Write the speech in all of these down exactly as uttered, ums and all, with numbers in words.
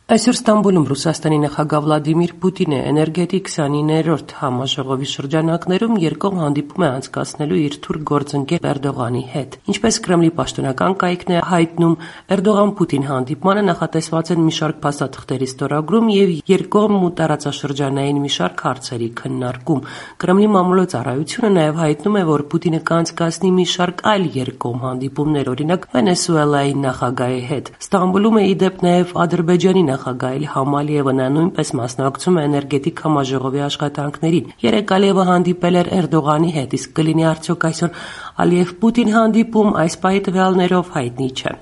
Այսօր Ստամբուլում Ռուսաստանի նախագահ Վլադիմիր Պուտինը էներգետիկ քսանիններորդ համաժողովի շրջանակներում երկկողմ հանդիպում է անցկացնելու իր թուրք գործընկեր Էրդողանի հետ։ Ինչպես Կրեմլի պաշտոնական կայքն է հայտնում, Էրդողան-Պուտին հանդիպմանը նախատեսված են մի շարք փաստաթղթերի ստորագրում եւ երկկողմ ու տարածաշրջանային մի շարք հարցերի քննարկում։ Կրեմլի մամուլոցարայությունը նաեւ հայտնում է, որ Պուտինը կանցկացնի մի շարք այլ երկկողմ հանդիպումներ, օրինակ Վենեսուելայի նախագահի հետ։ Ստամբուլում է ի դեպ նաեւ Ադրբեջանի նախագահ Իլհամ Ալիևը նույնպես մասնակցում է էներգետիկ համաժողովի աշխատանքներին։ Երեկ Ալիևը հանդիպել էր Էրդողանի հետ, իսկ կլինի արդյոք այսօր Ալիև-Պուտին հանդիպում, այս պահի տվյալներով հայտնի չէ։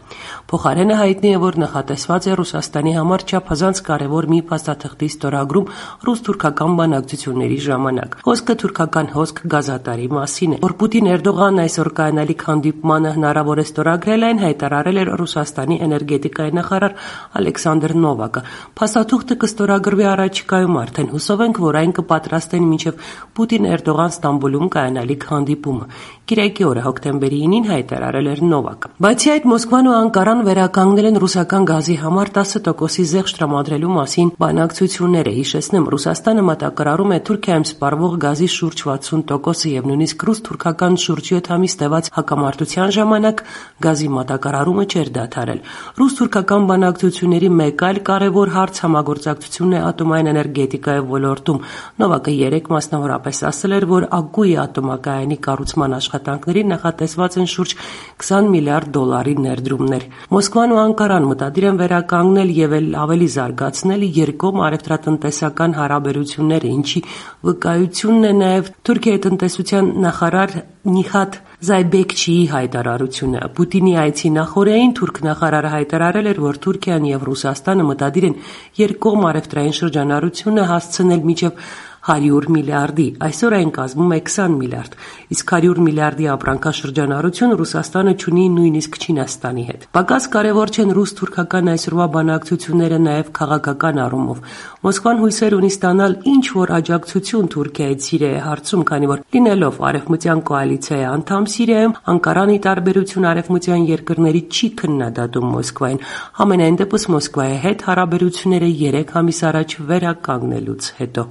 Փոխարենը հայտնի է, որ նախատեսված է Ռուսաստանի համար չափազանց կարևոր մի փաստաթղթի ստորագրում ռուս-թուրքական բանակցությունների ժամանակ։ Խոսքը թուրքական հոսք գազատարի մասին է, որ Պուտին-Էրդողանն այսօր կայանալիք հանդիպմանը հնարավոր է ստորագրել, այն հայտարարել էր Ռուսաստանի էներգետիկայի նախարար Ալեքսանդր Նովակը։ Փաստաթուղթը կստորագրվի առաջիկայում արդեն, հուսով ենք, որ այն կպատրաստեն մինչև Պուտին-Էրդողան Ստամբուլում կայանալիք հանդիպումը։ Կիրակի օրը հոկտեմբերի ինին հայտարարել էր Նովակը։ Բացի այդ, Մոսկվան ու Անկարան վերականգնել են ռուսական գազի համար տասը տոկոսի զեղչ տրամադրելու մասին բանակցությունները։ Հիշեցնեմ, Ռուսաստանը մատակարարում է Թուրքիայում սպառվող գազի շուրջ վաթսուն տոկոսը եւ նույնիսկ ռուս-թուրքական շուրջ յոթ ամիս տևած հակամարտության ժամանակ գազի մատակարարումը չէր դադարել։ Ռուս-թուրքական բանակցությունների մեկ այլ կարևոր հարց համագործակցությունն է ատոմային էներգետիկայի ոլորտում։ Նովակը երեկ մասնավորապես ասել էր, որ Ակուի ատոմակայանի կառուցման աշխատանքներին նախատեսված են շուրջ քսան միլիարդ դոլարի ներդրումներ։ Մոսկվան ու Անկարան մտադիր են վերականգնել եւ ավելի զարգացնել երկկողմ առևտրատնտեսական հարաբերությունները, ինչի վկայությունն է նաեւ Թուրքիայի տնտեսության նախարար Նիհաթ Զայբեկչիի հայտարարությունը։ Պուտինի այցի նախօրեին թուրք նախարարը հայտարարել էր, որ Թուրքիան եւ Ռուսաստանը մտադիր են երկկողմ առևտրային շրջանառությունը հասցնել մինչեւ հարյուր միլիարդի, այսօր այն կազմում է քսան միլիարդ, իսկ հարյուր միլիարդի ապրանքաշրջանառություն Ռուսաստանը չունի նույնիսկ Չինաստանի հետ։ Պակաս կարևոր չեն ռուս-թուրքական այսօրվա բանակցությունները նաև քաղաքական առումով։ Մոսկվան հույսեր ունի ստանալ ինչ-որ աջակցություն Թուրքիայից Սիրիայի հարցում, քանի որ լինելով արևմտյան կոալիցիայի անդամ Սիրիայում, Անկարանի տարբերություն արևմտյան երկրների չի քննադատում Մոսկվային։ Համենայն դեպս Մոսկվայի հետ հարաբերությունները երեք ամիս առաջ վերականգնելուց հետո։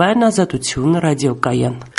Ազատություն ռադիոկայան։